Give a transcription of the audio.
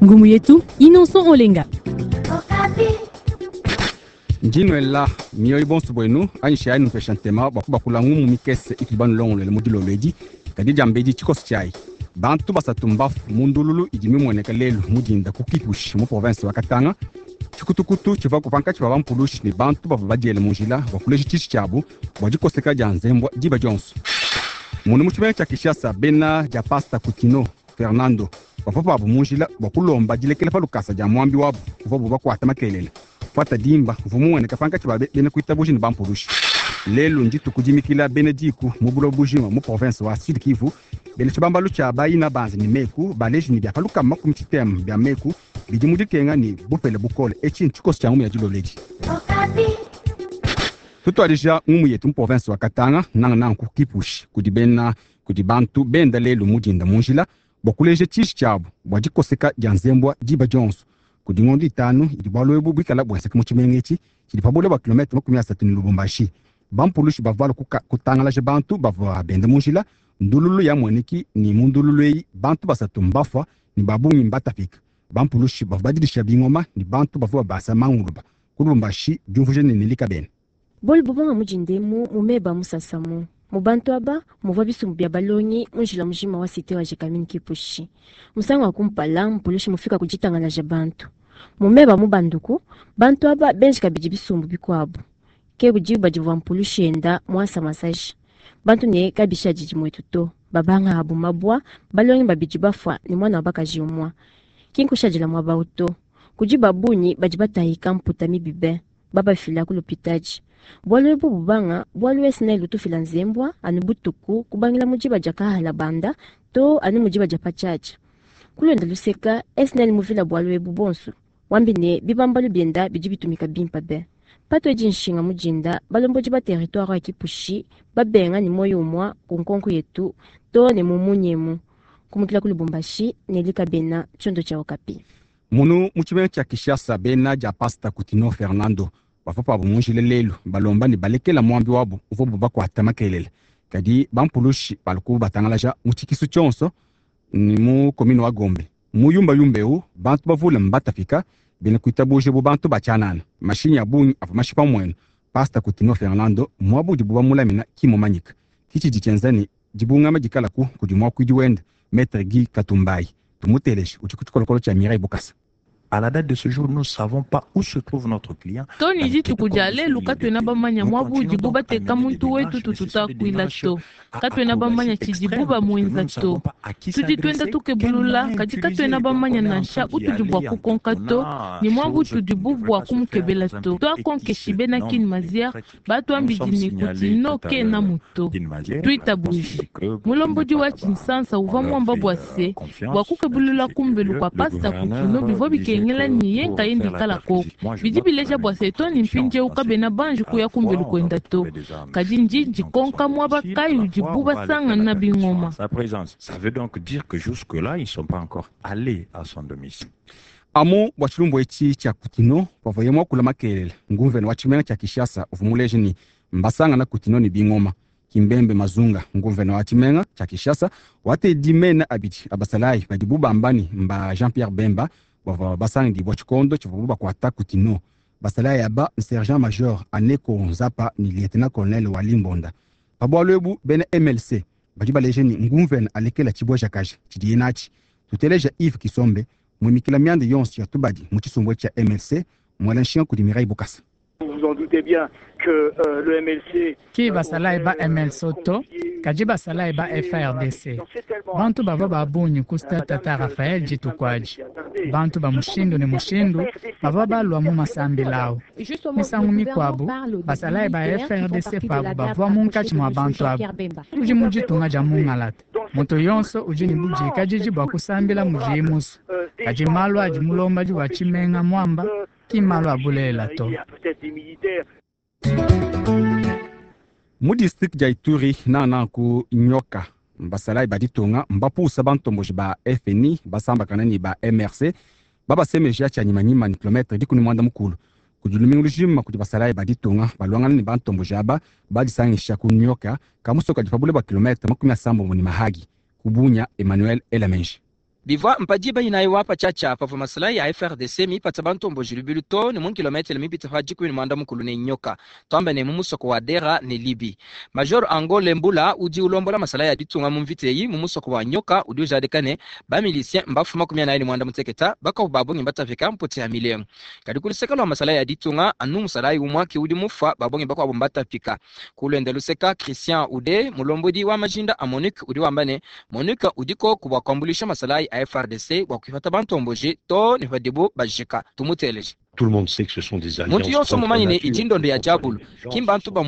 Ngumu yetu Innocent Olenga. Ndi nuela mioyo bonso buenu anyishayi nupesha ntema bua kubakula ngumu mikese itudi banulongoluele mu dilolo edi. Kadi diambedi tshikoso tshiayi, bantu basatu mbafu mu ndululu idi mimueneka lelu mu dinda ku Kipushi mu province wa Katanga. Tshikutukutu tshivua pankatshi pa bampulushi ne bantu bavua badiele mu njila bua kuleja tshiji tshiabu bua dikoseka dia nzembua diba dionso. Munu mu tshimenga tshia Kinshasa, bena dia pasta Kutino Fernando bavua pabu mu njila bua kulomba dilekela pa lukasa dia muambi wabu uvuabu bakuata makelela. Fuata dimba uvua mumueneka pankatshi pa bena kuitabuja ne bampulushi. Lelu ndituku dimikila bena diku mu buloba bujima mu province wa Sud Kivu. Bena tshibambalu tshia bayina banzi ne meku baleji ne bia pa lukama makumi tshitema bia meku bidi mu dikenga ne bupele bukole. Etshi ntshikoso tshia ngumu ya dilolo edi. Tutuadija ngumu yetu mu province wa Katanga, nangananga ku Kipushi, kudi bena kudi bantu benda lelu mu dinda mu njila bua kuleja tshiji tshiabu bua dikoseka dia nzembua diba dionso. Kudi ngondo itanu idi bualu ebu buikala buenzeka mu tshimenga etshi tshidi pa bule bua kilometre 30 ne Lubumbashi. Bampulushi bavua balua kutangalaja bantu bavua benda mu njila. Ndululu yamueneki ne mu ndululu eyi bantu basatu mbafua ne ba bungi mbatapika. Bampulushi bavua badidisha bingoma ne bantu bavua babasa manguluba ku Lubumbashi. Diumvuija ne Nelly Kabena. Bualu buvua mu dindemu mu meba musasamu. Mu bantu aba muvua bisumbu bia balongi mu njila mujima wa cité wa Gécamines Kipushi. Musangu wa kumpala mpulushi mufika ku ditangalaja bantu. Mu meba mu banduku bantu aba benji kabidi bisumbu bikuabu. Ke budi badivua mpulushi enda muasa masaji. Bantu ne kabisha didi muetu to. Babanga abu mabwa balongi babidi bafua ne mwana wa bakaji umwa. Kinkushadila mwaba uto. Kudi babunyi badi batahika mputa mibibe. Babafila ku lupitaji. Bualu ebu bubanga, bualu SNEL utufila nzembwa, anu butuku, kubangila mudiba dia kahala banda, to anu mudiba dia patshatsha. Kulonda luseka, SNEL muvila bualu ebu bonso. Wambi ne bibambalu bienda bidi bitumika bimpa be. Pato edi nshinga mudinda, balombodi ba territoire ya Kipushi, babenga ne moyo umwa ku nkonko yetu, to ne mumunyemu. Kumukila ku Lubumbashi, Nelly Kabena, tshiondo tshia Okapi. Munu mu tshimenga tshia Kinshasa, bena dia pasta Kutino Fernando bavua pabu mu njila lelu balomba ne balekela muambi wabu uvuabu bakuata makelela. Kadi bampulushi baluku batangalaja mu tshikisu tshionso ni mu commune wa Gombe. Mu yumba yumba eu bantu bavule mbatapika bena kuitabuja bu bantu ba tshianana. Mashinyi a bungi avua mashipa muenu. Pasta Kutino Fernando muabu udibu bamulamina ki mumanyika. Kitshidi tshienza ne dibungama dikalaku kudi muakuidi wende Maître Guy Katumbayi. Tumuteleje udi ku tshikolokolo tshia Mireille Bukasa. À la date de ce jour, nous ne savons pas où se trouve notre client. Tony dituku dia lelu katuena bamanya muabu udibu bateka muntu wetu tututakuila to. Katuena bamanya tshidibu bamuenza to. Tudi tuenda tukebulula kadi katuena bamanya nansha utudi bua kukonka to ne muabu tudibu bua kumukebela to. Twakonkeshi bena Kin Mazière batuambidi ne Kutino kena muto. Tuitabuji. Mulombodi wa Tshinsansa uvua muamba bua se bua kukebulula kumbelu kua pasta Kutino bivua bikengela ni ye nkayendi kala koko. Bidi bileja bua se Tony mpindieu kabena banji kuya kumbelu kuenda to. Kadi ndi ndikonka muaba kayi udibu basangana bingoma. Sa présence. Ça veut donc dire que jusque-là, ils ne sont pas encore allés à son domicile. Amu bua tshilumbu etshi tshia Kutino pavuaye muakula makelela nguvena wa tshimenga tshia Kinshasa uvua muleje ne mbasangana Kutino ne bingoma. Kimbembe Mazunga nguvena wa tshimenga tshia Kinshasa watedi mena abidi abasalayi badibu bamba ne mba Jean-Pierre Bemba bavua basangidibua tshikondo tshivuabu bakuata Kutino. Basalayi aba sergent major Aneko Nzapa ne lieutenant colonel Wali Mbonda. Pa bualu ebu bena MLC badi baleje ne nguvena alekela tshibuejakaji tshidiye natshi. Tuteleja Yves Kisombe muimikila mianda yonso ya tubadi mu tshisumbu tshia MLC muela nshinga kudi Mireille Bukasa. Vous vous en doutez bien que le MLC ki basalayi ba MLC to kadi basalayi ba FARDC bantu bavua ba bungi ku stade Tata Raphaël dituku adi bantu ba mushindu ne mushindu bavua balua mu masambila awu misangu mikuabu basalayi ba FARDC pabu bavua munkatshi mua bantu abu tudi mu ditunga dia mungalata moto yonso udi ne budikadidi bua kusambila mudiye musu kadi malu adi mulombodi wa tshimenga muamba ki malu a bulelela to. Mu district dia Ituri nangananga ku Nyoka basalayi ba ditunga mbapusa bantomboji ba FNI basambakana ne ba MRC babasemeja tshia nyimanyima ni kilometre dikumi muanda mukulu kudi lumingu lujima kudi basalayi ba ditunga baluangana ne bantomboji aba badisangisha ku Nyoka kamusoka kadi pa bule bua kilometre 80 ne Mahagi ku Bunia. Emmanuel Elamenji. Bivua mpadiba inayi wa patshiatshia pavua masalayi a FARDC mipatsa bantomboji lubilu too ne mu kilometele mipite pa 18 ne nyoka, tuambe ne mu musoko wa Dera ne Libi. Major Angole Mbula udi ulombola masalayi a ditunga mu mvita eyi mu musoko wa Nyoka udi ujadika ne, ba miliciens mbafu 48, bakuabu ba bungi mbatapika mputi ya milengu. Kadi ku luseke lua masalayi a ditunga, anu musalayi umua ke udi mufua, ba bungi bakuabu mbatapika. Ku luende luseka, Christian Ude, mulombodi wa majinda a MONUC udi wamba ne, MONUC udi koku bua kuambuluisha masalayi a FARDC bua kuipata bantomboji too ne padibu bajika. Tumuteleje. Tout le monde sait que ce sont des Muntu alliances yonso contre mumanye ne nature. idi ndondo ya diabulu, ki mbantu ba.